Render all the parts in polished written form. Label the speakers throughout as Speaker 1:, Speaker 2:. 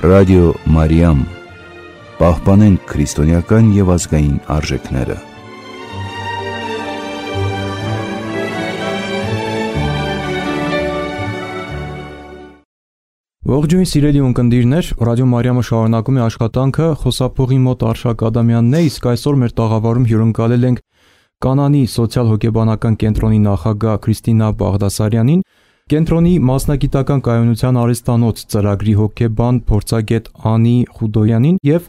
Speaker 1: Ռադիո Մարիամ, պահպանենք քրիստոնեական և ազգային արժեքները։
Speaker 2: Ողջույն սիրելի ունկնդիրներ, Ռադիո Մարիամը շարունակում է աշխատանքը, խոսափողի մոտ Արշակ Ադամյանն է, իսկ այսօր մեր տաղավարում հյուրընկալել ենք Կանանի սոցիալ-հոգեբանական կենտրոնի նախագահ Քրիստինա Բաղդասարյանին, կենտրոնի մասնագիտական կայունության արհեստանոց ծրագրի հոգեբան փորձագետ Անի Խուդոյանին եւ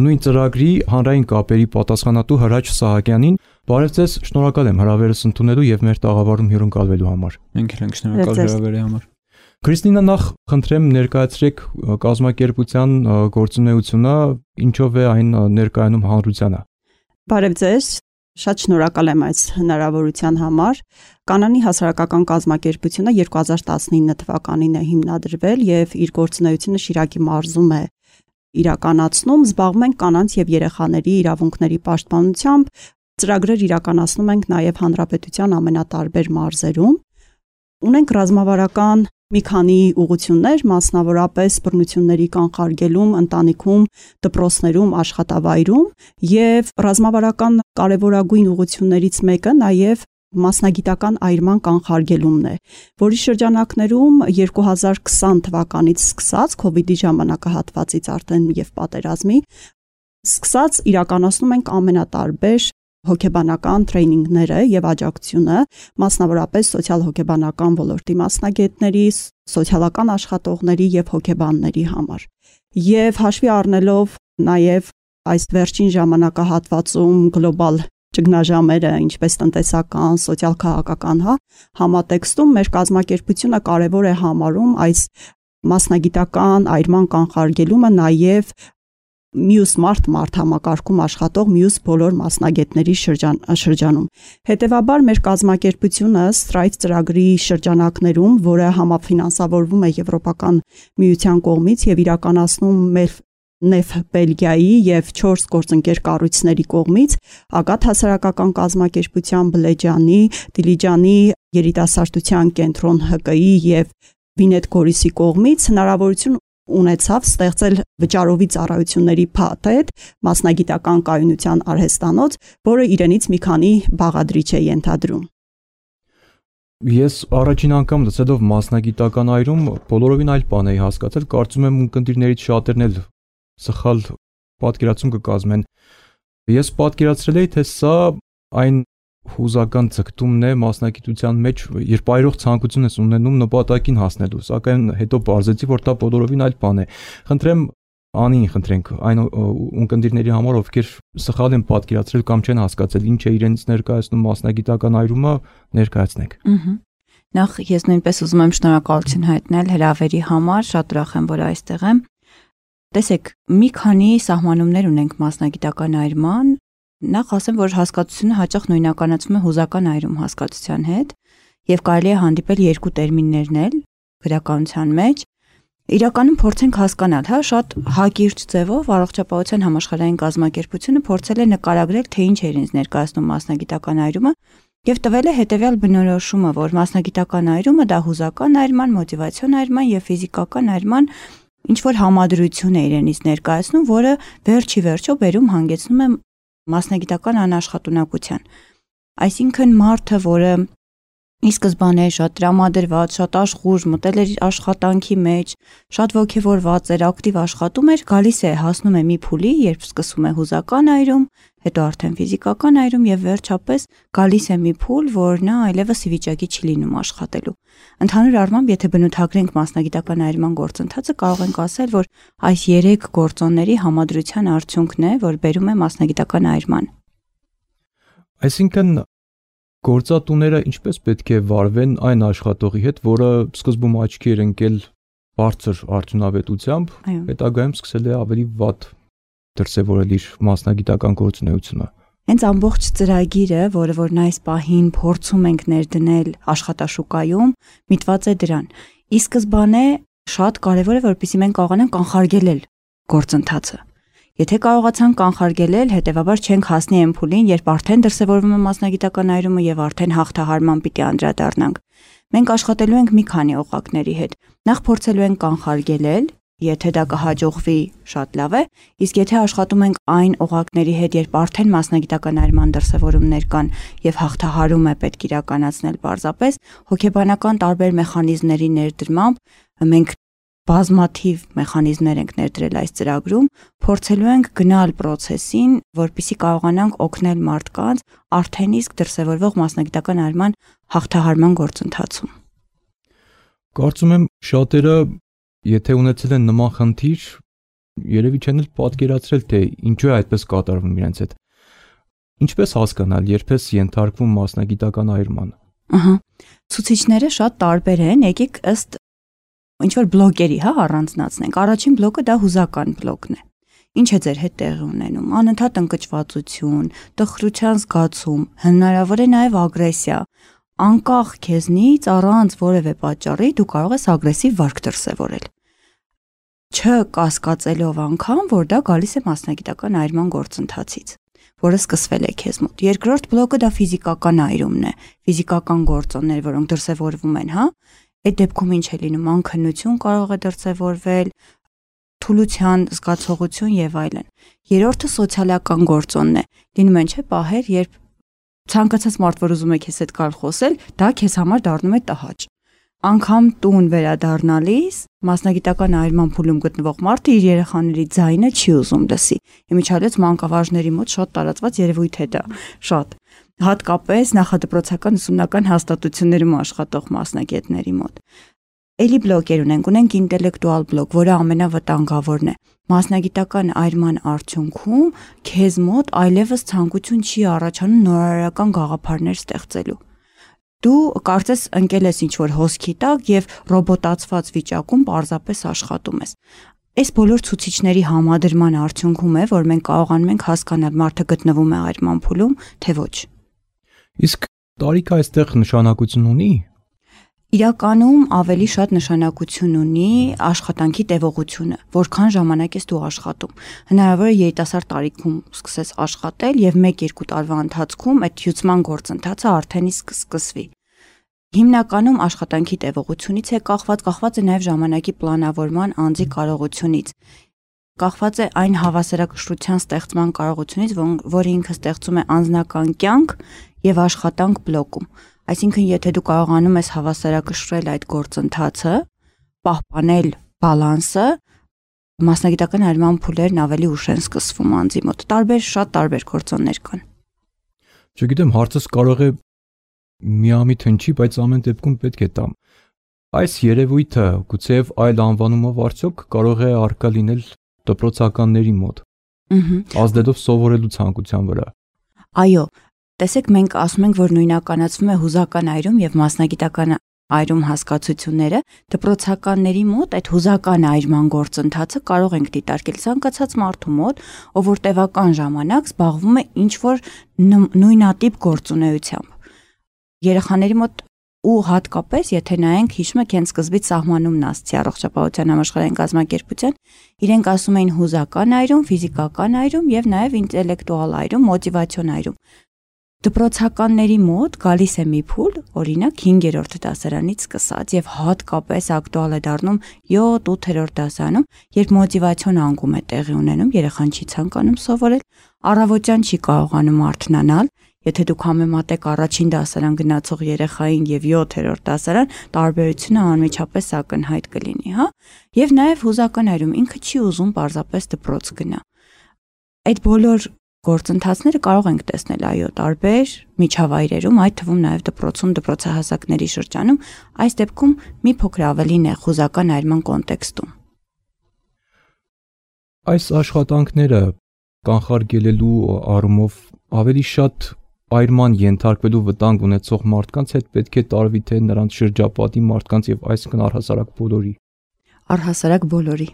Speaker 2: նույն ծրագրի հանրային կապերի պատասխանատու Հրաչ Սահակյանին։ Բարև ձեզ, շնորհակալ եմ հրավերս ընդունելու եւ մեր տաղավարում հյուրընկալվելու համար։
Speaker 3: Մենք ենք շնորհակալ հրավերի համար։
Speaker 2: Քրիստինա, նախ խնդրեմ ներկայացրեք կազմակերպության գործունեությունը, ինչով է այն ներկայանում հանրությանը։
Speaker 4: Բարև ձեզ, շատ շնորհակալ եմ այս հնարավորության համար։ Կանանի հասարակական կազմակերպությունը 2019 թվականին է հիմնադրվել եւ իր գործունեությունը Շիրակի մարզում է իրականացնում։ Զբաղվում ենք կանանց եւ երեխաների իրավունքների պաշտպանությամբ, ծրագրեր իրականացնում ենք նաեւ հանրապետության ամենատարբեր մարզերում։ Ունենք ռազմավարական մի քանի ուղղություններ, մասնավորապես բռնությունների կանխարգելում ընտանիքում, դպրոցներում, աշխատավայրում եւ ռազմավարական կարևորագույն ուղղություններից մեկը նաեւ մասնագիտական այրման կանխարգելումն է, որի շրջանակներում 2020 թվականից սկսած COVID-ի ժամանակահատվածից արդեն եւ պատերազմի սկսած իրականացնում ենք ամենատարբեր հոգեբանական տրեյնինգները եւ աջակցությունը, մասնավորապես սոցիալ-հոգեբանական ոլորտի մասնագետների, սոցիալական աշխատողների եւ հոգեբանների համար։ Եվ հաշվի առնելով նաեւ այս վերջին ժամանակահատվածում գլոբալ ճգնաժամերը, ինչպես տնտեսական, սոցիալ-քաղաքական համատեքստում մեր կազմակերպությունը կարևոր է համարում այս մասնագիտական այրման կանխարգելումը նաեւ մյուս մարդ համակարգում աշխատող մյուս բոլոր մասնագետների շրջանում։ Հետևաբար մեր կազմակերպությունը Strive ծրագրի շրջանակներում, որը համաֆինանսավորվում է Եվրոպական միության կողմից եւ իրականացնում մեր Նեֆ Բելգիայի եւ 4 գործընկեր կառույցների կողմից, Ագատ հասարակական կազմակերպության Բլեջանի, Դիլիջանի երիտասարդության կենտրոն ՀԿ-ի եւ Վինետ Գորիսի կողմից հնարավորություն ունեցավ ստեղծել վճարովի ծառայությունների փաթեթ, մասնագիտական կայունության արհեստանոց, որը իրենից մի քանի բաղադրիչ է ենթադրում։
Speaker 2: Ես առաջին անգամ լսելով մասնագիտական այրում բոլորովին այլ բան էի հասկացել, կարծում եմ ունկնդիրներից շատերն էլ սխալ պատկերացում կկազմեն։ Ես պատկերացրել էի, թե սա այն հուզական ցկտումն է մասնագիտության մեջ, երբ այրող ցանկություն ես ունենում նպատակին հասնելու, սակայն հետո բարձեցի, որ դա բոլորովին այլ բան է։ Խնդրեմ Անին խնդրենք այն ունկնդիրների համար, ովքեր սխալ են պատկերացրել կամ չեն հասկացել ինչ է իրենց ներկայացնում մասնագիտական այրումը, ներկայացնենք։
Speaker 5: Նախ ես նույնպես ուզում եմ շնորհակալություն հայտնել հրավերի համար, շատ ուրախ եմ, որ այստեղ եմ։ Տեսեք, մի քանի սահմանումներ ունենք մասնագիտական այրման։ Նախ ասեմ, որ հասկացությունը հաճախ նույնականացվում է հուզական այրում հասկացության հետ եւ կարելի է հանդիպել երկու տերմիններն էլ գրականության մեջ։ Իրականում փորձենք հասկանալ, շատ հակիրճ ձևով առողջապահության համաշխարհային կազմակերպությունը փորձել է նկարագրել, թե ինչ է իրենց ներկայացնում մասնագիտական այրումը եւ տվել է հետեւյալ բնորոշումը, որ մասնագիտական այրումը դա հուզական այրման, մոտիվացիոն այրման եւ ֆիզիկական այրման ինչ որ համադրություն է իրենից ներկայացնում, որը վերջի վերջո բերում հանգեցնում է մասնագիտական անաշխատունակության։ Այսինքն մարդը, որը ի սկզբանե շատ տրամադրված, շատ աշխուժ մտել էր աշխատանքի մեջ, շատ ոգևորված էր, ակտիվ աշխատում էր, գալիս է, հասնում է մի փուլի, երբ սկսում է հուզական այրում, հետո արդեն ֆիզիկական այրում եւ վերջապես գալիս է մի փուլ, որ նա այլևս ի վիճակի չի լինում աշխատելու։ Ընդհանուր առմամբ, եթե բնութագրենք մասնագիտական այրման գործընթացը, կարող ենք ասել, որ այս 3 գործոնների համադրության արդյունքն է, որ բերում է մասնագիտական այրման։
Speaker 2: Այսինքն գործատուները ինչպես պետք է վարվեն այն աշխատողի հետ, որը սկզբում աչքի էր ընկել բարձր արդյունավետությամբ, հետագայում սկսել է ավելի վատ դրսևորել իր մասնագիտական գործունեությունը։
Speaker 5: Հենց ամբողջ ծրագիրը, որը որ այս պահին փորձում ենք ներդնել աշխատաշուկայում, միտված է դրան։ Ի սկզբանե շատ կարևոր է, որպեսզի մենք կարողանանք կանխարգելել գործընթացը։ Եթե կարողացանք կանխարգելել, հետեւաբար չենք հասնի այն փուլին, երբ արդեն դրսևորվում է մասնագիտական այրումը եւ արդեն հաղթահարման պիտի անդրադառնանք։ Մենք աշխատելու ենք մի քանի օղակների հետ։ Նախ փորձելու ենք կանխարգելել եթե դա կհաջողվի, շատ լավ է, իսկ եթե աշխատում ենք այն օղակների հետ, երբ արդեն մասնագիտական այրման դրսևորումներ կան եւ հաղթահարում է պետք իրականացնել պարզապես, հոգեբանական տարբեր մեխանիզմների ներդրմամբ մենք բազմաթիվ մեխանիզմներ ենք ներդրել այս ծրագրում, փորձելու ենք գնալ process-ին, որպեսզի կարողանանք օգնել մարդկանց արդեն իսկ դրսևորվող մասնագիտական այրման հաղթահարման գործընթացում։
Speaker 2: Կարծում եմ շատերը, եթե ունեցել են նման խնդիր, երևի չեն էլ պատկերացրել, թե ինչու է այդպես կատարվում իրենց հետ։ Ինչպես հասկանալ, երբես ենթարկվում մասնագիտական այրման։
Speaker 5: Ցուցիչները շատ տարբեր են, եկեք ըստ ինչ որ բլոկերի, առանձնացնենք։ Առաջին բլոկը դա հուզական բլոկն է։ Ինչ է ձեր հետ տեղի ունենում։ Անընդհատ ընկճվածություն, տխրության զգացում, հնարավոր է նաև ագրեսիա։ Անկախ քեզնից առանց որևէ պատճառի դու կարող ես ագրեսիվ վարք դրսևորել։ Չկասկածելով անգամ, որ դա գալիս է մասնագիտական այրման գործընթացից, որը սկսվել է քեզ մոտ։ Երկրորդ բլոկը դա ֆիզիկական այրումն է, ֆիզիկական գործոններ, որոնք դրսևորվում են, Այդ դեպքում ինչ է լինում, անքնություն կարող է դրսևորվել, թուլության զգացողություն եւ այլն։ Երրորդը սոցիալական գործոնն է։ Լինում են չէ պահեր, երբ ցանկացած մարդ, որ ուզում է քեզ հետ գալ խոսել, դա քեզ համար դառնում է տհաճ։ Անկամ տուն վերադառնալիս մասնագիտական այրման փուլում գտնվող մարդը իր երեխաների ձայնը չի ուզում լսի։ Իմիջիալից մանկավարժների մոտ շատ տարածված երևույթ է դա, շատ։ Հատկապես նախադպրոցական ուսումնական հաստատություններում աշխատող մասնագետների մոտ։ Էլի բլոկեր ունենք ինտելեկտուալ բլոկ, որը ամենավտանգավորն է։ Մասնագիտական այրման արդյունքում քեզ մոտ այլևս ցանկություն չի առաջանում նորարարական գաղափարներ ստեղծելու։ Դու կարծես ընկել ես ինչ-որ հոսքի տակ եւ ռոբոտացված վիճակում պարզապես աշխատում ես։ Այս բոլոր ցուցիչների համադրման արդյունքում է, որ մենք կարողանում ենք հասկանալ մարդը գտնվում է այրման փուլում, թե ոչ։
Speaker 2: Իսկ տարիքը այստեղ նշանակություն ունի։
Speaker 5: Իրականում ավելի շատ նշանակություն ունի աշխատանքի տևողությունը, որքան ժամանակ ես դու աշխատում։ Հնարավոր է երիտասարդ տարիքում սկսես աշխատել եւ 1-2 տարվա ընթացքում այդ հյուծման գործընթացը արդեն իսկ սկսվի։ Հիմնականում աշխատանքի տևողությունից է կախված է նաեւ ժամանակի պլանավորման անձի կարողությունից։ Կախված է այն հավասարակշռության ստեղծման կարողությունից, որը ինքը ստեղծում է անձնական կյանք եւ աշխատանք բլոկում։ Այսինքն, եթե դու կարողանում ես հավասարակշռել այդ գործընթացը, պահպանել բալանսը, մասնագիտական այրման փուլերն ավելի ուշ են սկսվում անձի մոտ։ Շատ տարբեր գործոններ կան։
Speaker 2: Չգիտեմ, հարցս կարող է միամիտ հնչի, բայց ամեն դեպքում պետք է տամ։ Այս երևույթը գուցեև այլ անվանումով արդյոք կարող է առկա լինել դպրոցականների մոտ։ Ազդելով սովորելու ցանկության վրա։
Speaker 5: Այո, տեսեք, մենք ասում ենք, որ նույնականացվում է հուզական այրում եւ մասնագիտական այրում հասկացությունները, դպրոցականների մոտ այդ հուզական այրման գործընթացը կարող ենք դիտարկել ցանկացած մարդու մոտ, ով որ տևական ժամանակ զբաղվում է ինչ-որ նույնատիպ գործունեությամբ։ Երեխաների մոտ ու հատկապես, եթե նայենք, հիշում եք, հենց սկզբից սահմանումն ասացի առողջապահության համաշխարհային կազմակերպության, իրենք ասում էին հուզական այրում, ֆիզիկական այրում եւ նաեւ ինտելեկտուալ այրում, մոտիվացիոն այրում։ Դպրոցականների մոտ գալիս է մի փուլ, օրինակ 5-րդ դասարանից սկսած եւ հատկապես ակտուալ է դառնում 7-8-րդ դասարանում, երբ մոտիվացիոն անկում է տեղի ունենում, երեխան չի ցանկանում սովորել, առավոտյան չի կարողանում արթնանալ, եթե դուք համեմատեք առաջին դասարան գնացող երեխային եւ 7-րդ դասարան, տարբերությունը անմիջապես ակնհայտ կլինի, Եվ նաեւ հուզական այրում ինքը չի ուզում պարզապես դպրոց գնա։ Այդ բոլոր գործընթացները կարող ենք տեսնել այո տարբեր միջավայրերում, այդ թվում նաև դպրոցում, դպրոցահասակների շրջանում, այս դեպքում մի փոքր ավելին է հուզական այրման կոնտեքստում։
Speaker 2: Այս աշխատանքները կանխարգելելու առումով ավելի շատ այրման ենթարկվելու վտանգ ունեցող մարդկանց հետ պետք է տարվի թե նրանց շրջապատի մարդկանց եւ այսինքն առհասարակ բոլորի։
Speaker 5: Առհասարակ բոլորի։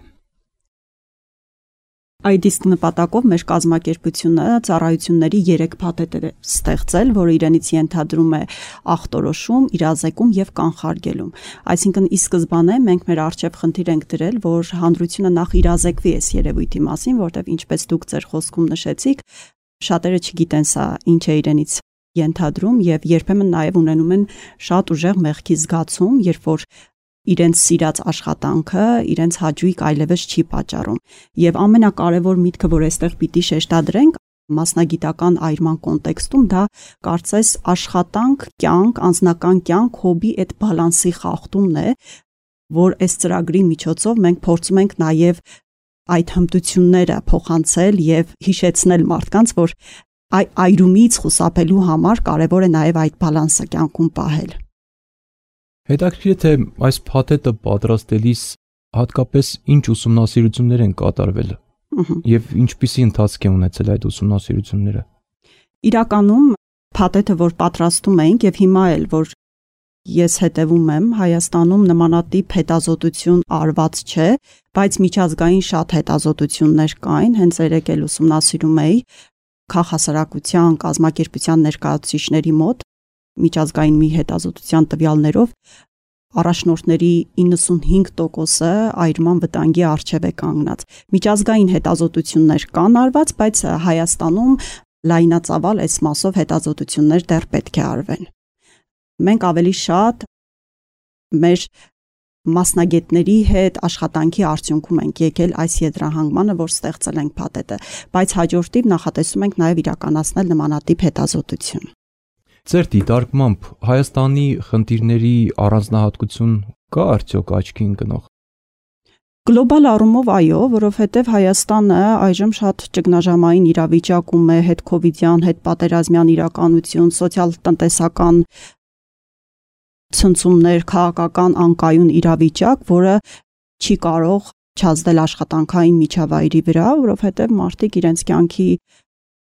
Speaker 4: Այդ իսկ նպատակով մեր կազմակերպությունը ծառայությունների 3 փաթեթ է ստեղծել, որը իրենից ենթադրում է ախտորոշում, իրազեկում եւ կանխարգելում։ Այսինքն ի սկզբանե մենք մեր արժեվ խնդիր ենք դրել, որ հանրությունը նախ իրազեկվի այս երևույթի մասին, որտեղ ինչպես դուք ձեր խոսքում նշեցիք, շատերը չգիտեն սա ինչ է իրենից ենթադրում եւ երբեմն նաեւ ունենում են շատ ուժեղ մեղքի զգացում, երբ որ իրենց սիրած աշխատանքը իրենց հաճույք այլևս չի պատճառում։ Եվ ամենակարևոր միտքը, որ այստեղ պիտի շեշտադրենք, մասնագիտական այրման կոնտեքստում դա կարծես աշխատանք, կյանք, անձնական կյանք, հոբի այդ բալանսի խախտումն է, որ այս ծրագրի միջոցով մենք փորձում ենք նաև այդ հմտությունները փոխանցել եւ հիշեցնել մարդկանց, որ այրումից խուսափելու համար կարևոր է նաև այդ բալանսը կյանքում պահել։
Speaker 2: Հետաքրքիր է, թե այս փաթեթը պատրաստելիս հատկապես ինչ ուսումնասիրություններ են կատարվել եւ ինչպիսի ընթացք է ունեցել այդ ուսումնասիրությունները։
Speaker 4: Իրականում փաթեթը, որ պատրաստում ենք եւ հիմա էլ որ ես հետևում եմ, Հայաստանում նմանատիպ հետազոտություն արված չէ, բայց միջազգային շատ հետազոտություններ կային, հենց երեք էլ ուսումնասիրում էի քաղաքասարակության կազմակերպության ներկայացուցիչների մոտ միջազգային մի հետազոտության տվյալներով առաջնորդների 95%-ը այրման վտանգի առջև է կանգնած։ Միջազգային հետազոտություններ կան արված, բայց Հայաստանում լայնածավալ այս մասով հետազոտություններ դեռ պետք է արվեն։ Մենք ավելի շատ մեր մասնագետների հետ աշխատանքի արդյունքում ենք եկել այս եզրահանգմանը, որ ստեղծել ենք փաթեթը, բայց հաջորդիվ նախատեսում ենք նաև իրականացնել նմանատիպ հետազոտություն։
Speaker 2: Ձեր դիտարկմամբ Հայաստանի խնդիրների առանձնահատկություն կա արդյոք աչքի ընկնող։
Speaker 4: Գլոբալ առումով այո, որովհետև Հայաստանը այժմ շատ ճգնաժամային իրավիճակում է, հետ-քովիդյան, հետ-պատերազմյան իրականություն, սոցիալ-տնտեսական ցնցումներ, քաղաքական անկայուն իրավիճակ, որը չի կարող չազդել աշխատանքային միջավայրի վրա, որովհետև մարդիկ իրենց կյանքի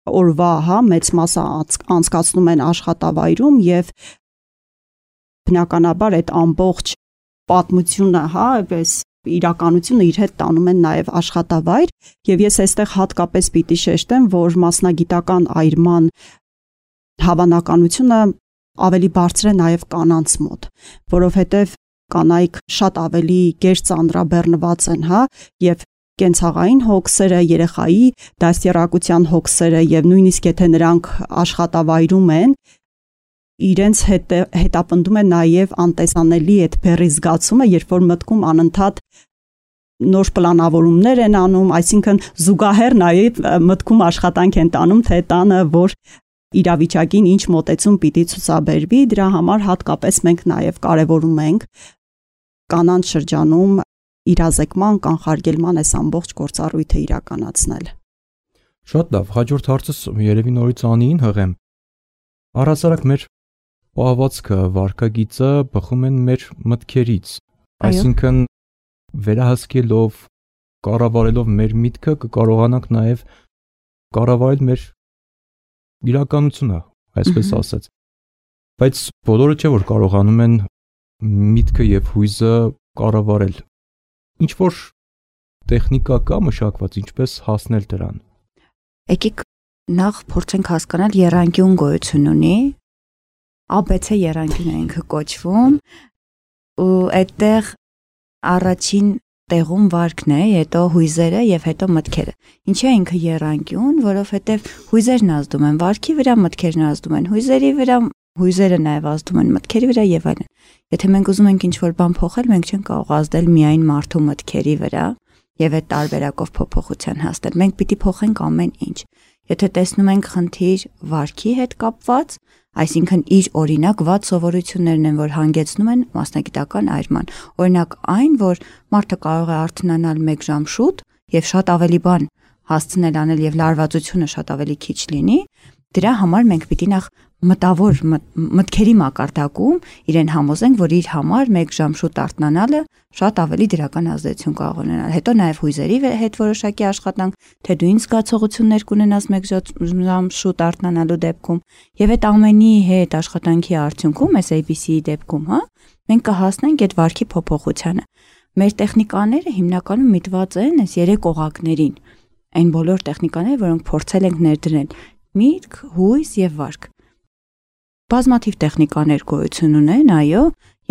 Speaker 4: օրվա մեծ մասը անցկացնում են աշխատավայրում եւ բնականաբար այդ ամբողջ պատմությունը, այս իրականությունը իր հետ տանում են նաև աշխատավայր եւ ես այստեղ հատկապես պիտի շեշտեմ, որ մասնագիտական այրման հավանականությունը ավելի բարձր է նաև կանանց մոտ, որովհետեւ կանայք շատ ավելի գերծանրաբեռնված են, եւ կենցաղային հոգսերը, երեխայի դաստիարակության հոգսերը եւ նույնիսկ եթե նրանք աշխատավայրում են, իրենց հետապնդում է նաեւ անտեսանելի այդ բեռի զգացումը, երբ որ մտքում անընդհատ նոր պլանավորումներ են անում, այսինքն զուգահեռ նաեւ մտքում աշխատանք են տանում, թե տանը որ իրավիճակին ինչ մոտեցում պիտի ցուցաբերվի, դրա համար հատկապես մենք նաեւ կարեւորում ենք կանանց շրջանում իրազեկման, կանխարգելման այս ամբողջ գործառույթը իրականացնել։
Speaker 2: Շատ լավ, հաջորդ հարցս երևի նորից Անիին հղեմ։ Առհասարակ մեր պահվածքը, վարքագիծը բխում են մեր մտքերից, այսինքն վերահսկելով, կառավարելով մեր միտքը կկարողանանք նաև կառավարել մեր իրականությունը, այսպես ասած։ Բայց բոլորը չէ որ կարողանում են միտքը եւ հույզը կառավարել։ Ինչ որ տեխնիկա կա մշակված, ինչպես հասնել դրան։
Speaker 5: Եկեք նախ փորձենք հասկանալ եռանկյուն գոյություն ունի, ABC եռանկյուն է ինքը կոչվում, ու այդտեղ առաջին տեղում վարքն է, հետո հույզերը եւ հետո մտքերը։ Ինչի է ինքը եռանկյուն, որովհետեւ հույզերն ազդում են վարքի վրա, մտքերն ազդում են հույզերի վրա, հույզերը նաև ազդում են մտքերի վրա եւ այլն։ Եթե մենք ուզում ենք ինչ-որ բան փոխել, մենք չենք կարող ազդել միայն մարդու մտքերի վրա եւ այդ տարբերակով փոփոխության հասնել։ Մենք պիտի փոխենք ամեն ինչ։ Եթե տեսնում ենք խնդիր վարքի հետ կապված, այսինքն իր օրինակ վատ սովորություններն են, որ հանգեցնում են մասնագիտական այրման։ Օրինակ այն, որ մարդը կարող է արթնանալ 1 ժամ շուտ եւ շատ ավելի բան հասցնել անել եւ լարվածությունը շատ ավելի քիչ լինի, դրա համար մենք պիտի նախ մտավոր մտքերի մակարդակում իրեն համոզենք, որ իր համար 1 ժամ շուտ արթնանալը շատ ավելի դրական ազդեցություն կարող ունենալ։ Հետո նաև հույզերի հետ որոշակի աշխատանք, թե դու ինչ զգացողություններ կունենաս 1 ժամ շուտ արթնանալու դեպքում, եւ այդ ամենի հետ աշխատանքի արդյունքում, այս ABC-ի դեպքում, մենք կհասնենք այդ վարքի փոփոխությանը։ Մեր տեխնիկաները հիմնականում միտված են այս 3 օղակներին, այն բոլոր տեխնիկաները, որոնք փորձել ենք ներդրել՝ միտք, հույզ եւ վարք։ Բազմաթիվ տեխնիկաներ գոյություն ունեն, այո,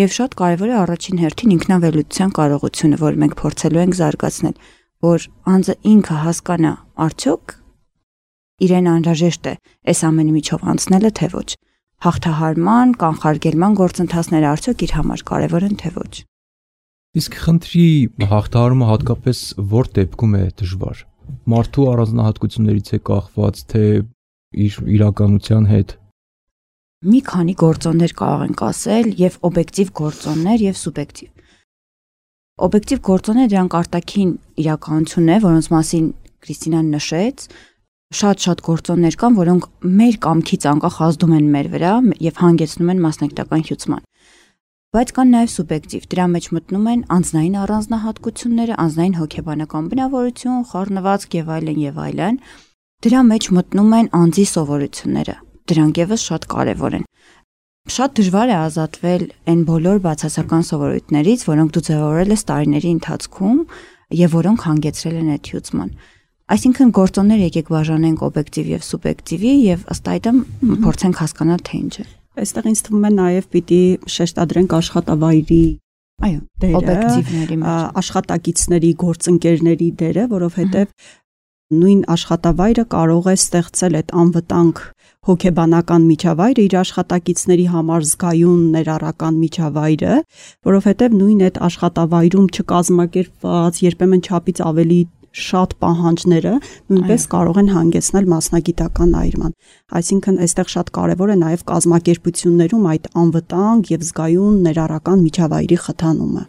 Speaker 5: եւ շատ կարեւոր է առաջին հերթին ինքնավելության կարողությունը, որ մենք փորձելու ենք զարգացնել, որ անձը ինքը հասկանա արդյոք իրեն անհրաժեշտ է այս ամենի միջով անցնելը, թե ոչ։ Հաղթահարման, կանխարգելման գործընթացները արդյոք իր համար կարեւոր են, թե ոչ։
Speaker 2: Իսկ խնդրի հաղթահարումը հատկապես որ դեպքում է դժվար։ Մարդու առանձնահատկություններից է կախված, թե իր իրականության հետ։
Speaker 5: Մի քանի գործոններ կարող ենք ասել, եւ օբյեկտիվ գործոններ եւ սուբյեկտիվ։ Օբյեկտիվ գործոնները դրանք արտաքին իրականություն է, որոնց մասին Կրիստինան նշեց, շատ գործոններ կան, որոնք մեր կամքից անկախ ազդում են մեր վրա եւ հանգեցնում են մասնագիտական հյուծման։ Բայց կան նաեւ սուբյեկտիվ, դրա մեջ մտնում են անձնային առանձնահատկությունները, անձնային հոգեբանական բնավորություն, խառնվածք եւ այլն։ Դրա մեջ մտնում են անձի սովորությունները։ Դրանք եւս շատ կարեւոր են։ Շատ դժվար է ազատվել այն բոլոր բացասական սովորույթներից, որոնք դու ձևավորել ես տարիների ընթացքում եւ որոնք հանգեցրել են այդ հյուծման։ Այսինքն գործոններ եկեք բաժանենք օբյեկտիվ եւ սուբյեկտիվի եւ ըստ այդմ փորձենք հասկանալ թե ինչ է։
Speaker 4: Այստեղ ինձ թվում է նաեւ պիտի շեշտադրենք աշխատավայրի
Speaker 5: օբյեկտիվների մեջ
Speaker 4: աշխատակիցների, գործընկերների դերը, որովհետեւ նույն աշխատավայրը կարող է ստեղծել այդ անվտանգ հոգեբանական միջավայրը իր աշխատակիցների համար զգայուն ներառական միջավայրը, որովհետև նույն այդ աշխատավայրում չկազմակերպված, երբեմն չափից ավելի շատ պահանջները նույնպես կարող են հանգեցնել մասնագիտական այրման։ Այսինքն այստեղ շատ կարևոր է նաև կազմակերպություններում այդ անվտանգ եւ զգայուն ներառական միջավայրի խթանումը։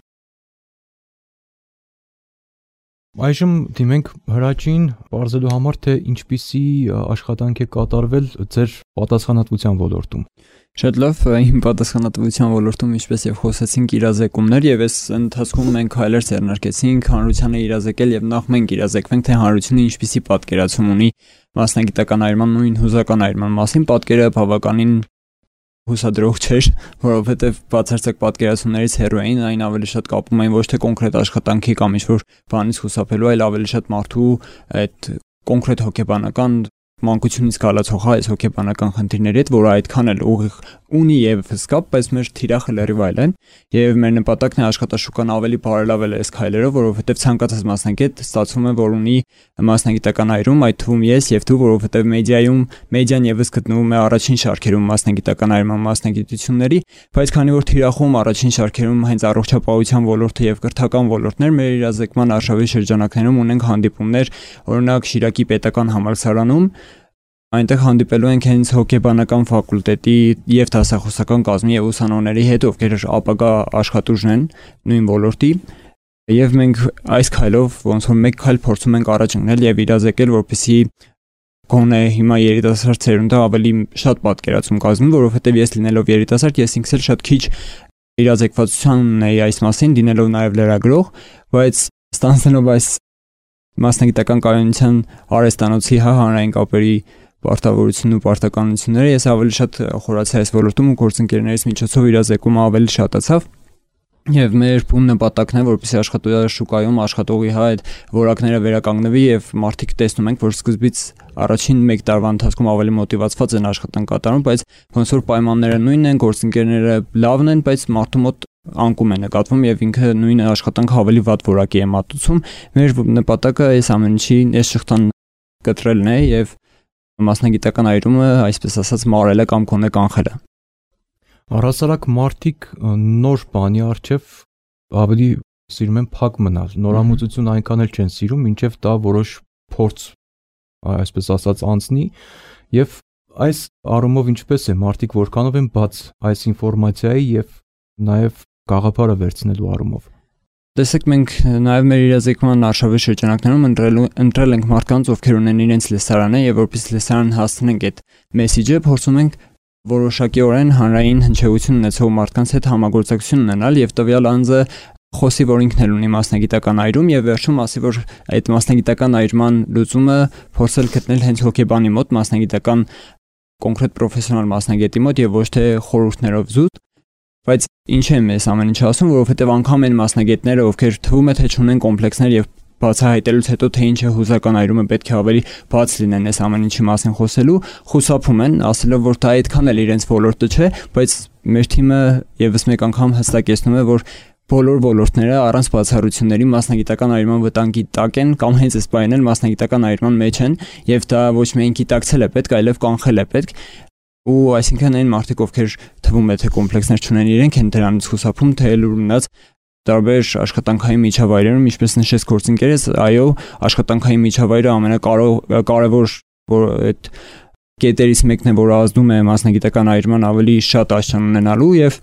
Speaker 2: Այժմ դիմենք Հրաչին բարձելու համար, թե ինչպիսի աշխատանք է կատարվել ձեր պատասխանատվության ոլորտում։
Speaker 3: Շատ լավ, իմ պատասխանատվության ոլորտում ինչպես եւ խոսեցինք իրազեկումներ եւ այս ընթացքում մենք հայլեր ձեռնարկեցինք հանրությանը իրազեկել եւ նախ մենք իրազեկվենք, թե հանրությունը ինչպիսի պատկերացում ունի մասնագիտական այրման նույն հուզական այրման մասին։ Պատկերը բավականին հուսադրող չէր, որովհետև բացարձակ պատկերացումներից հեռու էին, այն ավելի շատ կապում էին ոչ թե կոնկրետ աշխատանքի կամ ինչ-որ բանից խուսափելու, այլ ավելի շատ մարդու այդ կոնկրետ հոգեբանական մանկությունից գալացող այս հոգեբանական խնդիրների հետ, որը այդքան էլ ուղիղ ունի եւ սկապ, բայց մեր թիրախը լրիվ այլ են եւ մեր նպատակն է աշխատաշուկան ավելի բարելավել այս քայլերով, որովհետեւ ցանկացած մասնագետ ստացվում է, որ ունի մասնագիտական այրում, այդ թվում ես եւ դու, որովհետեւ մեդիան եւս գտնվում է առաջին շարքերում մասնագիտական այրման մասնագիտությունների, բայց քանի որ թիրախում առաջին շարքերում հենց առողջապահության ոլորտը եւ կրթական ոլորտներ մեր իրազեկման արշավի շրջանակներում ունենք հանդիպումներ, օրինակ Շիրակի պետական համալսարանում այնտեղ հանդիպելու ենք հենց հոգեբանական ֆակուլտետի եւ դասախոսական կազմի եւ ուսանողների հետ, ովքեր ապագա աշխատուժն են նույն ոլորտի, եւ մենք այս քայլով ոնց որ մեկ քայլ փորձում ենք առաջ ընկնել եւ իրազեկել, որպեսզի գոնե հիմա երիտասարդ ցերունդը ավելի շատ պատկերացում կազմի, որովհետեւ ես լինելով երիտասարդ, ես ինքս էլ շատ քիչ իրազեկվածության ունեի այս մասին, դինելով նաեւ լրագրող, բայց ստանալով այս մասնագիտական կայունության արհեստանոցի հանրային կապերի պարտավորությունն ու պարտականությունները ես ավելի շատ խորացա այս ոլորտում ու գործընկերներից միջոցով իրազեկումը ավելի շատացավ եւ մեր նպատակն է, որպեսզի աշխատաշուկայում աշխատողի այդ որակները վերականգնվի եւ մարդիկ տեսնում ենք, որ սկզբից առաջին 1 տարվա ընթացքում ավելի մոտիվացված են աշխատանք կատարում, բայց ոնց որ պայմանները նույնն են, գործընկերները լավն են, բայց մարդու մոտ անկում է նկատվում եւ ինքը նույն աշխատանքը ավելի վատ որակի է մատուցում։ Մեր նպատակը այս ամեն ինչի այս շղթան կտրելն է եւ մասնագիտական այրումը, այսպես ասած, մարելը կամ կոնե կանխելը։
Speaker 2: Առհասարակ մարդիկ նոր բանի առջև ավելի սիրում են փակ մնալ, նորամուծություն այնքան էլ չեն սիրում, մինչև դա որոշ փորձ, այսպես ասած, անցնի եւ այս առումով ինչպես է մարդիկ որքանով են բաց այս ինֆորմացիայի եւ նաեւ գաղափարը վերցնելու առումով։
Speaker 3: Տեսեք, մենք նաև մեր իրազեկման արշավի շրջանակներում ընտրել ենք մարդկանց, ովքեր ունեն իրենց լեսարանը եւ որպես լեսարան հասցնենք այդ մեսիջը, փորձում ենք որոշակիորեն հանրային հնչեղություն ունեցող մարդկանց հետ համագործակցություն ունենալ եւ տվյալ անձը խոսի, որ ինքն էլ ունի մասնագիտական այրում եւ վերջում ասի, որ այդ մասնագիտական այրման լուծումը փորձել գտնել հենց հոգեբանի մոտ, մասնագիտական կոնկրետ պրոֆեսիոնալ մասնագետի մոտ եւ ոչ թե խորհուրդներով զուտ։ Բայց ինչ եմ ես ամեն ինչ ասում, որովհետև անգամ այն մասնագետները, ովքեր թվում է թե չունեն կոմպլեքսներ եւ բացահայտելուց հետո թե ինչ է հուզական այրումը, պետք է ավելի բաց լինեն այս ամեն ինչի մասին խոսելու, խուսափում են, ասելով, որ դա այդքան էլ իրենց ոլորտը չէ, բայց մեր թիմը եւս մեկ անգամ հստակեցնում է, որ բոլոր ոլորտները առանց բացառությունների մասնագիտական այրման վտանգի տակ են կամ հենց այս բանն էլ մասնագիտական այրման մեջ են եւ դա ոչ միայն գիտակցել է պետք, այլև կանխել է պետք։ Ու այսինքն այն մարդիկ, ովքեր թվում է թե կոմպլեքսներ չունեն իրենք են դրանից խուսափում, թե լուրնած տարբեր աշխատանքային միջավայրերում, ինչպես նշեց գործընկերս, այո, աշխատանքային միջավայրը ամենակարևոր որ այդ կետերից մեկն է, որ ազդում է մասնագիտական այրման ավելի շատ աշճան ունենալու եւ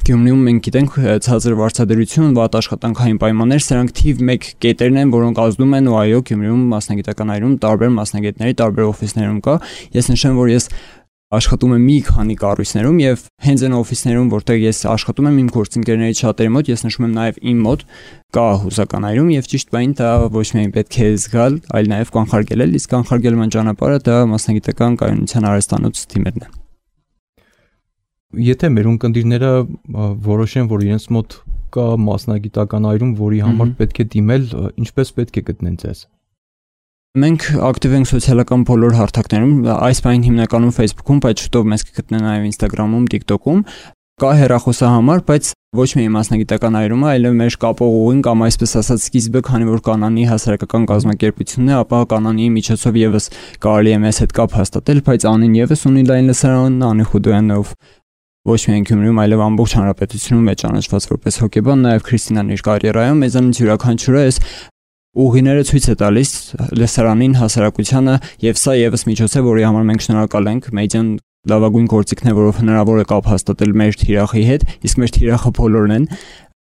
Speaker 3: Գյումրիում մենք գիտենք ցածր վարձատրություն, վատ աշխատանքային պայմաններ, սրանք թիվ 1 կետերն են, որոնք ազդում են ու այո, Գյումրիում մասնագիտական այրում տարբեր մասնագետների, տարբեր օֆիսներում կա։ Ես նշեմ, որ ես աշխատում եմ մի քանի կառույցներում եւ հենց այն օֆիսներում, որտեղ ես աշխատում եմ իմ գործընկերների շատերի մոտ, ես նշում եմ նաեւ իմ մոտ կա հուսական այրում եւ ճիշտ բային դա ոչ միայն պետք է զգալ, այլ նաեւ կանխարգելել, իսկ կանխարգելման ճանապարհը դա մասնագիտական կայունության արհեստանոց թիմերն են։
Speaker 2: Եթե մեր ունկնդիրները որոշեն, որ իրենց մոտ կա մասնագիտական այրում, որի համար պետք է դիմել, ինչպես պետք է գտնեն ձեզ։
Speaker 3: Մենք ակտիվ ենք սոցիալական բոլոր հարթակներում, այս բանին հիմնականում Facebook-ում, բայց շուտով մեզ կգտնեն նաև Instagram-ում, TikTok-ում։ Կա հեռախոսահամար, բայց ոչ միայն մասնագիտական այրումը, այլև մեր կապողուին կամ այսպես ասած սկիզբը, քանի որ Կանանի հասարակական կազմակերպությունն է, ապա Կանանի միջոցով եւս կարելի է մեզ հետ կապ հաստատել, բայց Անին եւս ունի լայն լսարան, Անի Խուդոյանով ոչ միայն Գյումրիում, այլև ամբողջ հանրապետությունում է ճանաչված որպես հոկեբան, նաև Քրիստինան իր կարիերայում մեզանից յուրաքանչյուրը այս ուղիները ցույց է տալիս լսարանին, հասարակությանը, եւ սա եւս միջոց է, որի համար մենք շնորհակալ ենք։ Մեդիան լավագույն գործիքն է, որով հնարավոր է կապ հաստատել մեր թիրախի հետ, իսկ մեր թիրախը բոլորն են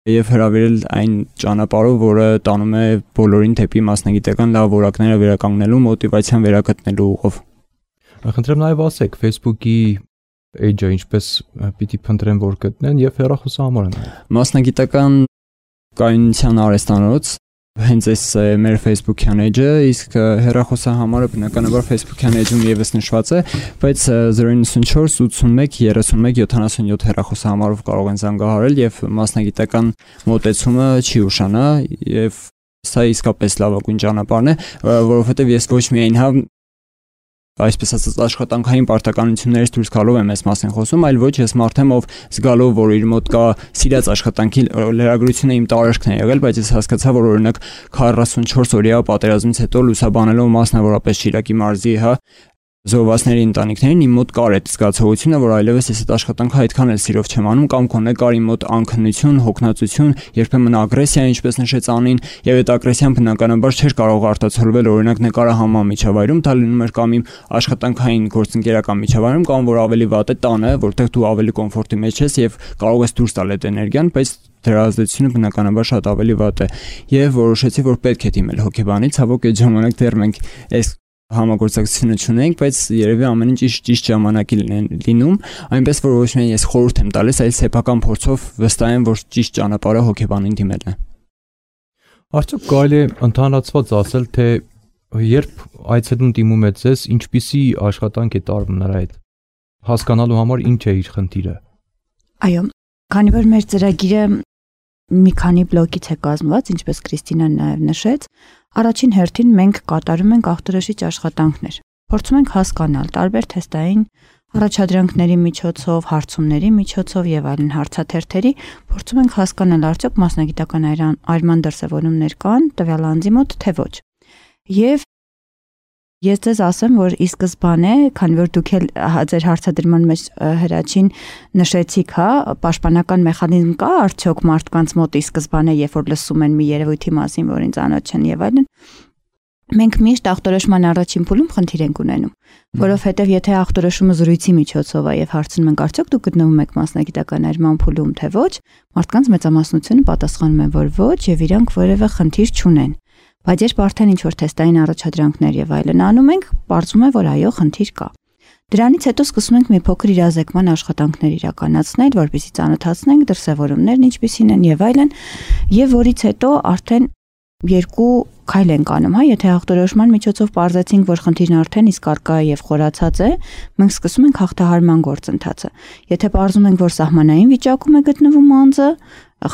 Speaker 3: եւ հրավիրել այն ճանապարհով, որը տանում է բոլորին դեպի մասնագիտական լավ որակները վերականգնելու, մոտիվացիան վերագտնելու ուղով։
Speaker 2: Խնդրեմ նաև ասեք Facebook-ի էջը ինչպես պիտի փնտրեն, որ գտնեն եւ հեռախոսահամարը նաև։
Speaker 3: Մասնագիտական կայունության արհեստանոց հենց այս մեր Facebook-յան էջը, իսկ հեռախոսահամարը բնականաբար Facebook-յան էջում եւս նշված է, բայց 094 81 31 77 հեռախոսահամարով կարող են զանգահարել եւ մասնագիտական մոտեցումը չի ուշանա եւ սա իսկապես լավագույն ճանապարհն է, որովհետեւ ես ոչ միայն այսպես ասած աշխատանքային պարտականություններից դուրս գալով եմ այս մասին խոսում, այլ ոչ ես մարդ եմ, ով զգալով, որ իր մոտ կա սիրած աշխատանքի լրագրությունը իմ տարածքն է եղել, բայց ես հասկացա, որ օրինակ 44 օրյա պատերազմից հետո լուսաբանելով մասնավորապես Շիրակի մարզի, զոհվածների ընտանիքներին իմ մոտ կար այդ զգացողությունը, որ այլևս ես այդ աշխատանքը այդքան էլ սիրով չեմ անում կամ կոնե կար իմ մոտ անքնություն, հոգնածություն, երբեմն ագրեսիա, ինչպես նշեց Անին, եւ այդ ագրեսիան բնականաբար չէր կարող արտացոլվել օրինակ նկարահանման միջավայրում, դա լինում էր կամ իմ աշխատանքային գործընկերական միջավայրում, կամ որ ավելի վատ է տանը, որտեղ դու ավելի կոմֆորտի մեջ ես եւ կարող ես դուրս տալ այդ էներգիան, բայց դրա ազդեցությունը բնականաբար շատ ավելի վատ է եւ որոշեցի, որ պետք է դիմել հոգեբանի, ցավոք այդ ժամանակ դեռ մենք այս համագործակցությունը չունենք, բայց երևի ամեն ինչ ճիշտ ժամանակի լինում, այնպես որ ոչ միայն ես խորհուրդ եմ տալիս, այլ սեփական փորձով վստահ եմ, որ ճիշտ ճանապարհը հոգեբանին դիմելն է։
Speaker 2: Արդյոք կարելի է ընդհանրացված ասել, թե երբ այցելուն դիմում է ձեզ, ինչպիսի աշխատանք է տարվում նրա հետ։ Հասկանալու համար ինչ է իր խնդիրը։
Speaker 5: Այո, քանի որ մեր ծրագիրը մի քանի բլոկից է կազմված, ինչպես Քրիստինան նաև նշեց, առաջին հերթին մենք կատարում ենք ախտորոշիչ աշխատանքներ։ Փորձում ենք հասկանալ տարբեր թեստային առաջադրանքների միջոցով, հարցումների միջոցով եւ այլն հարցաթերթերի, փորձում ենք հասկանալ արդյոք մասնագիտական այրման դրսևորումներ կան տվյալ անձի մոտ, թե ոչ։ Եվ ես ձեզ ասեմ, որ ի սկզբանե, քանի որ դուք էլ ձեր հարցադրման մեջ հրաչին նշեցիք, պաշտպանական մեխանիզմ կա արդյոք մարդկանց մոտ ի սկզբանե, երբ որ լսում են մի երևույթի մասին, որին ծանոթ չեն եւ այլն, մենք միշտ ախտորոշման առաջին փուլում խնդիր ենք ունենում, որովհետեւ եթե ախտորոշումը զրույցի միջոցով է եւ հարցնում ենք արդյոք դուք գտնվում եք մասնագիտական այրման փուլում, թե ոչ, մարդկանց մեծամասնությունը պատասխանում են, որ ոչ եւ իրանք որևէ խնդիր չունեն։ Բայց երբ արդեն ինչ-որ թեստային առաջադրանքներ եւ այլն անում ենք, պարզվում է, որ այո, խնդիր կա։ Դրանից հետո սկսում ենք մի փոքր իրազեկման աշխատանքներ իրականացնել, որպեսզի ծանոթացնենք դրսևորումներն ինչպիսին են եւ այլն, եւ որից հետո արդեն երկու քայլ ենք անում, եթե ախտորոշման միջոցով պարզեցինք, որ խնդիրն արդեն իսկ արկա է եւ խորացած է, մենք սկսում ենք հաղթահարման գործընթացը։ Եթե պարզում ենք, որ սահմանային վիճակում է գտնվում անձը,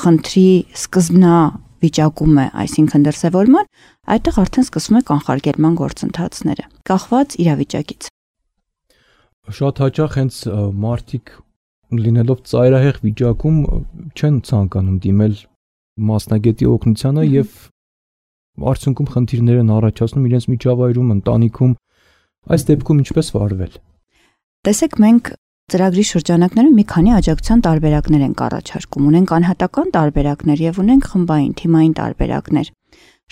Speaker 5: խնդրի սկզբնա վիճակում է, այսինքն դրսևորման, այդտեղ արդեն սկսում է կանխարգելման գործընթացները, կախված իրավիճակից։
Speaker 2: Շատ հաճախ հենց մարդիկ լինելով ծայրահեղ վիճակում չեն ցանկանում դիմել մասնագետի օգնությանը եւ արդյունքում խնդիրներ են առաջացնում իրենց միջավայրում, ընտանիքում, այս դեպքում ինչպես վարվել։
Speaker 5: Տեսեք, մենք ծրագրի շրջանակներում մի քանի աջակցության տարբերակներ ենք առաջարկում։ Ունենք անհատական տարբերակներ եւ ունենք խմբային, թիմային տարբերակներ։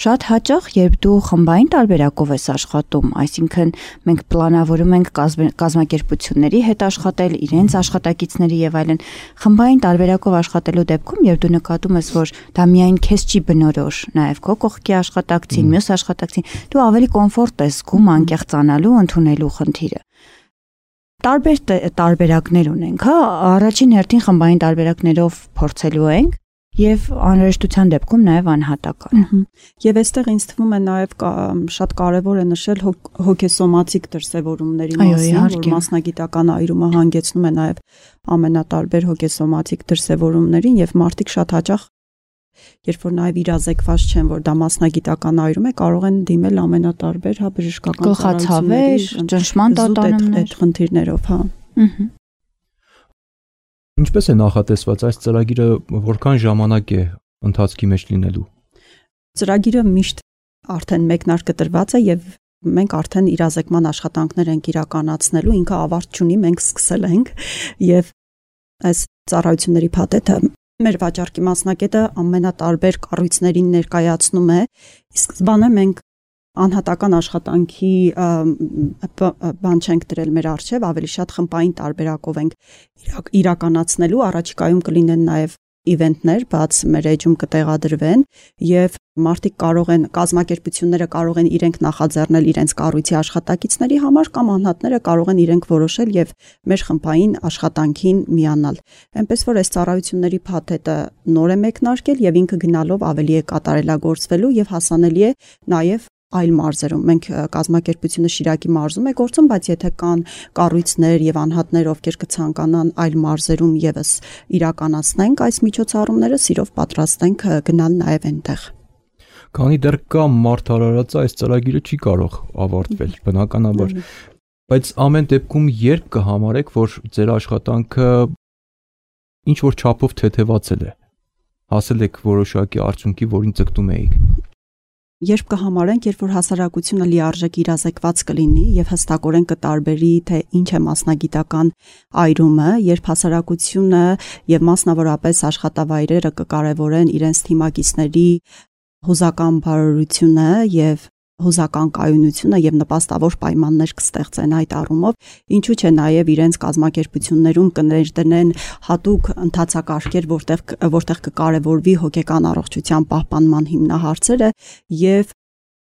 Speaker 5: Շատ հաճախ, երբ դու խմբային տարբերակով ես աշխատում, այսինքն մենք պլանավորում ենք կազմակերպությունների հետ աշխատել, իրենց աշխատակիցների եւ այլն, խմբային տարբերակով աշխատելու դեպքում, երբ դու նկատում ես, որ դա միայն քեզ չի բնորոշ, նաեւ քո կողքի աշխատակցին, մյուս աշխատակցին, դու ավելի կոմֆորտ ես զգում անկեղծանալու, ընդունելու խնդիրը։ Տարբեր տարբերակներ ունենք, հա, առաջին հերթին խմբային տարբերակներով փորձելու ենք եւ անհրաժեշտության դեպքում նաեւ անհատական։
Speaker 4: Եվ այստեղ ինձ թվում է նաեւ շատ կարեւոր է նշել հոգեսոմատիկ դրսևորումների մասին, որ մասնագիտական այրումը հանգեցնում է նաեւ ամենատարբեր հոգեսոմատիկ դրսևորումներին եւ մարդիկ շատ հաճախ երբ որ նաեւ իրազեկված չեն, որ դա մասնագիտական այրում է, կարող են դիմել ամենատարբեր, հա, բժշկական
Speaker 5: ծառայությունների, ճնշման տատանումներ,
Speaker 4: այդ խնդիրներով, հա։
Speaker 2: Ինչպես է նախատեսված այս ծրագիրը, որքան ժամանակ է ընթացքի մեջ լինելու։
Speaker 4: Ծրագիրը միշտ արդեն մեկնարկտրված է եւ մենք արդեն իրազեկման աշխատանքներ ենք իրականացնելու, ինքը ավարտ չունի, մենք սկսել ենք եւ այս ծառայությունների փաթեթը մեր վաճառքի մասնակետը ամենատարբեր կառույցներին ներկայացնում է, իսկ սկզբանե մենք անհատական աշխատանքի բան չենք դրել մեր առջև, ավելի շատ խմբային տարբերակով ենք իրականացնելու, առաջիկայում կլինեն նաև իվենտներ, բաց մեր էջում կտեղադրվեն եւ մարդիկ կարող են, կազմակերպությունները կարող են իրենք նախաձեռնել իրենց կառույցի աշխատակիցների համար կամ անհատները կարող են իրենք որոշել եւ մեր խմբային աշխատանքին միանալ։ Այնպես որ այս ծառայությունների փաթեթը նոր է մեկնարկել եւ ինքը գնալով ավելի է կատարելագործվելու եւ հասանելի է նաեւ այլ մարզերում։ Մենք կազմակերպությունը Շիրակի մարզում է գործում, բայց եթե կան կառույցներ եւ անհատներ, ովքեր կցանկանան այլ մարզերում եւս իրականացնենք այս միջոցառումները, սիրով պատրաստ ենք գնալ նաեւ այնտեղ։
Speaker 2: Քանի դեռ կա մարդ արարած, այս ծրագիրը չի կարող ավարտվել, բնականաբար։ Բայց ամեն դեպքում երբ կհամարեք, որ ձեր աշխատանքը ինչ որ չափով թեթևացել է, հասել եք որոշակի արդյունքի, որին ձգտում էիք։
Speaker 4: Երբ կհամարենք, երբ որ հասարակությունը լիարժեք իրազեկված կլինի եւ հստակորեն կտարբերի, թե ինչ է մասնագիտական այրումը, երբ հասարակությունը եւ մասնավորապես աշխատավայրերը կկարևորեն իրենց թիմակիցների հուզական բարօրությունը եւ հուզական կայունությունը եւ նպաստավոր պայմաններ կստեղծեն այդ առումով, ինչու՞ չէ նաեւ իրենց կազմակերպություններում կներդնեն հատուկ ընթացակարգեր, որտեղ կկարևորվի հոգեկան առողջության պահպանման հիմնահարցերը եւ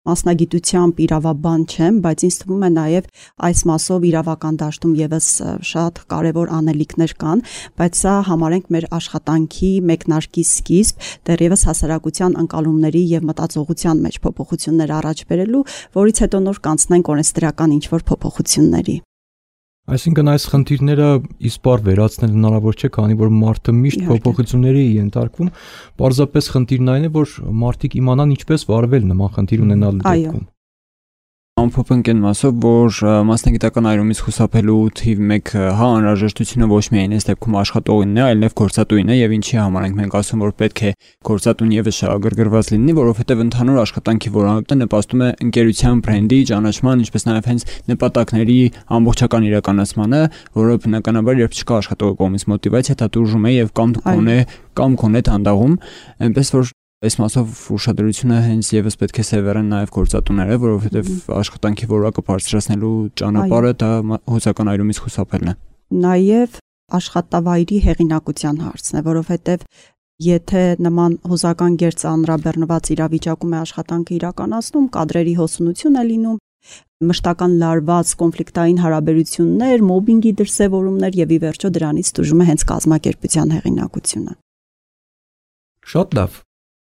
Speaker 4: մասնագիտությամբ իրավաբան չեմ, բայց ինձ թվում է նաև այս մասով իրավական դաշտում եւս շատ կարևոր անելիքներ կան, բայց սա համարենք մեր աշխատանքի մեկնարկի սկիզբ, դեռևս հասարակության ընկալումների եւ մտածողության մեջ փոփոխություններ առաջ բերելու, որից հետո նոր կանցնենք օրենսդրական ինչ-որ փոփոխությունների։
Speaker 2: Այսինքն այս խնդիրները իսպար վերացնել հնարավոր չէ, քանի որ մարդը միշտ փոփոխությունների է ենթարկվում, պարզապես խնդիրն այն է, որ մարդիկ իմանան ինչպես վարվել նման խնդիր ունենալու դեպքում։
Speaker 3: Ամփոփենք այն մասով, որ մասնագիտական այրումից խուսափելու թիվ 1 հա անհրաժեշտությունը ոչ միայն այս դեպքում աշխատողինն է, այլև գործատուին է եւ ինչի համար ենք ասում, որ պետք է գործատուն եւս շահագրգռված լինի, որովհետեւ ընդհանուր աշխատանքի որակը նպաստում է ընկերության բրենդի ճանաչման, ինչպես նաեւ հենց նպատակների ամբողջական իրականացմանը, որը բնականաբար երբ չկա աշխատողի կողմից մոտիվացիա, դա դուրժում է եւ կամ կոնե դանդաղում, այնպես որ այս մասով ուշադրությունը հենց եւս պետք է սևեռեն նաեւ գործատուները, որովհետեւ աշխատանքի որակը բարձրացնելու ճանապարհը դա հուզական այրումից խուսափելն է։
Speaker 4: Նաեւ աշխատավայրի հեղինակության հարցն է, որովհետեւ եթե նման հուզական գերծ անրաբեռնված իրավիճակում է աշխատանքը իրականացնում, կադրերի հոսունություն է լինում, մշտական լարված կոնֆլիկտային հարաբերություններ, մոբինգի դրսևորումներ եւ ի վերջո դրանից դժում է հենց կազմակերպության հեղինակությունը։
Speaker 2: Շատ լավ։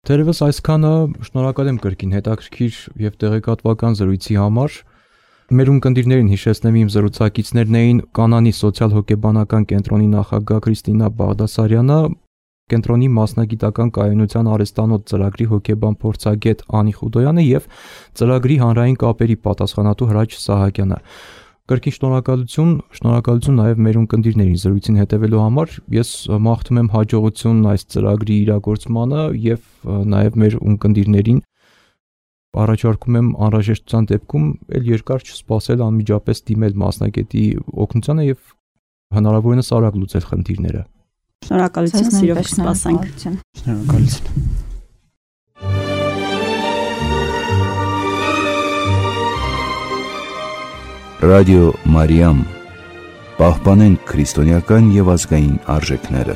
Speaker 2: Թերևս այսքանը շնորհակալ եմ կրկին հետաքրքիր եւ տեղեկատվական զրույցի համար։ Մեր ունկնդիրներին հիշեցնեմ իմ զրուցակիցներն էին Կանանի սոցիալ-հոգեբանական կենտրոնի նախագահ Քրիստինա Բաղդասարյանը, կենտրոնի մասնագիտական կայունության արհեստանոց ծրագրի հոգեբան փորձագետ Անի Խուդոյանը եւ ծրագրի հանրային կապերի պատասխանատու Հրաչ Սահակյանը։ Կրկին շնորհակալություն նաև մեր ունկնդիրներին զրույցին հետևելու համար։ Ես մաղթում եմ հաջողություն այս ծրագրի իրագործմանը եւ նաև մեր ունկնդիրներին առաջարկում եմ անհրաժեշտության դեպքում ել երկար չսպասել, անմիջապես դիմել մասնագետի օգնությանը եւ հնարավորինս արագ լուծել խնդիրները։
Speaker 4: Շնորհակալություն, սիրով կսպասենք։
Speaker 3: Շնորհակալություն։
Speaker 1: Ռադիո Մարիամ, պահպանենք քրիստոնեական եւ ազգային արժեքները։